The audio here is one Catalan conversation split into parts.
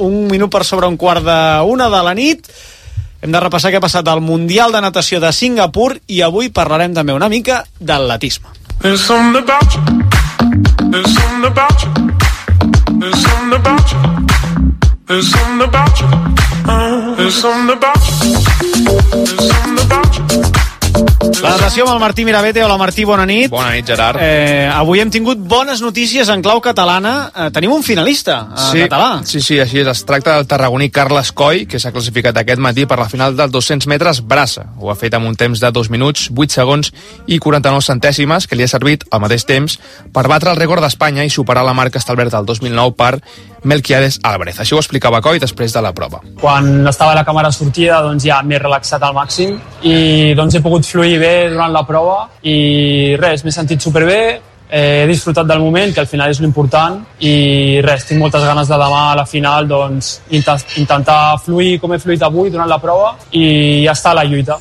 un minut per sobre un quart d'una de la nit. Hem de repassar què ha passat al Mundial de Natació de Singapur i avui parlarem també una mica d'atletisme. There's something about you. There's something about you. There's something about you. There's something about you. There's something about you. There's something about you. La natació amb el Martí Mirabete. Hola Martí, bona nit. Bona nit, Gerard. Avui hem tingut bones notícies en clau catalana. Tenim un finalista català. Sí, així és. Es tracta del tarragoní Carles Coll, que s'ha classificat aquest matí per la final dels 200 metres braça. Ho ha fet amb un temps de 2 minuts, 8 segons i 49 centèsimes, que li ha servit al mateix temps per batre el rècord d'Espanya i superar la marca establerta el 2009 per Melquiades Álvarez. Això ho explicava Coll després de la prova. Quan estava la càmera sortida, doncs ja m'he relaxat al màxim i doncs he pogut fluir bé durant la prova i res, m'he sentit superbé, he disfrutat del moment, que al final és l'important, i res, tinc moltes ganes de demà a la final doncs intentar fluir com he fluït avui durant la prova i ja està a la lluita.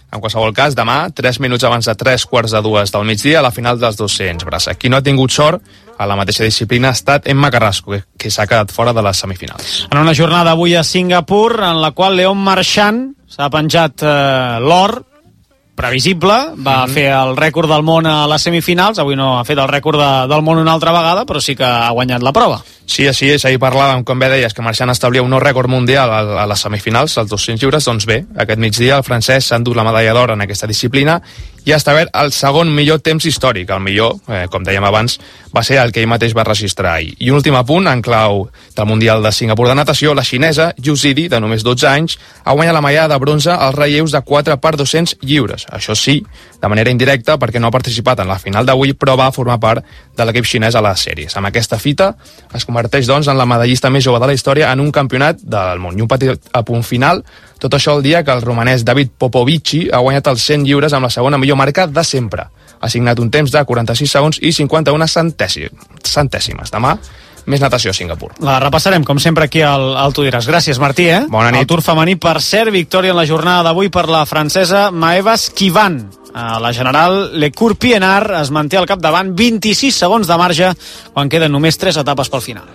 En qualsevol cas, demà, 3 minuts abans de 3:45 del migdia, a la final dels 200 braça. Qui no ha tingut sort a la mateixa disciplina ha estat Emma Carrasco, que s'ha quedat fora de les semifinals. En una jornada avui a Singapur, en la qual Leon Marchand s'ha penjat l'or previsible, va fer el rècord del món a les semifinals, avui no ha fet el rècord del món una altra vegada, però sí que ha guanyat la prova. Sí, així és, ahir parlàvem, com bé deies, que Marchand establia un nou rècord mundial a les semifinals, als 200 lliures, doncs bé, aquest migdia el francès s'ha endut la medalla d'or en aquesta disciplina i ha establert el segon millor temps històric. El millor, com dèiem abans, va ser el que ell mateix va registrar ahir. I un últim apunt, en clau del Mundial de Singapur de natació, la xinesa Yu Zidi, de només 12 anys, ha guanyat la medalla de bronze als relleus de 4x200 lliures. Això sí, de manera indirecta, perquè no ha participat en la final d'avui, però va formar part de l'equip xinès a les sèries. Amb aquesta fita es converteix, doncs, en la medallista més jove de la història en un campionat del món. I un petit apunt final, tot això el dia que el romanès David Popovici ha guanyat els 100 lliures amb la segona millor marca de sempre. Ha signat un temps de 46 segons i 51 centèsimes. Demà, més natació a Singapur. La repassarem, com sempre, aquí al Tu diràs. Gràcies, Martí. Bona nit. El Tour femení, per cert, victòria en la jornada d'avui per la francesa Maeva Skivan. A la general, Le Cour-Pienaar es manté al capdavant, 26 segons de marge, quan queden només 3 etapes pel final.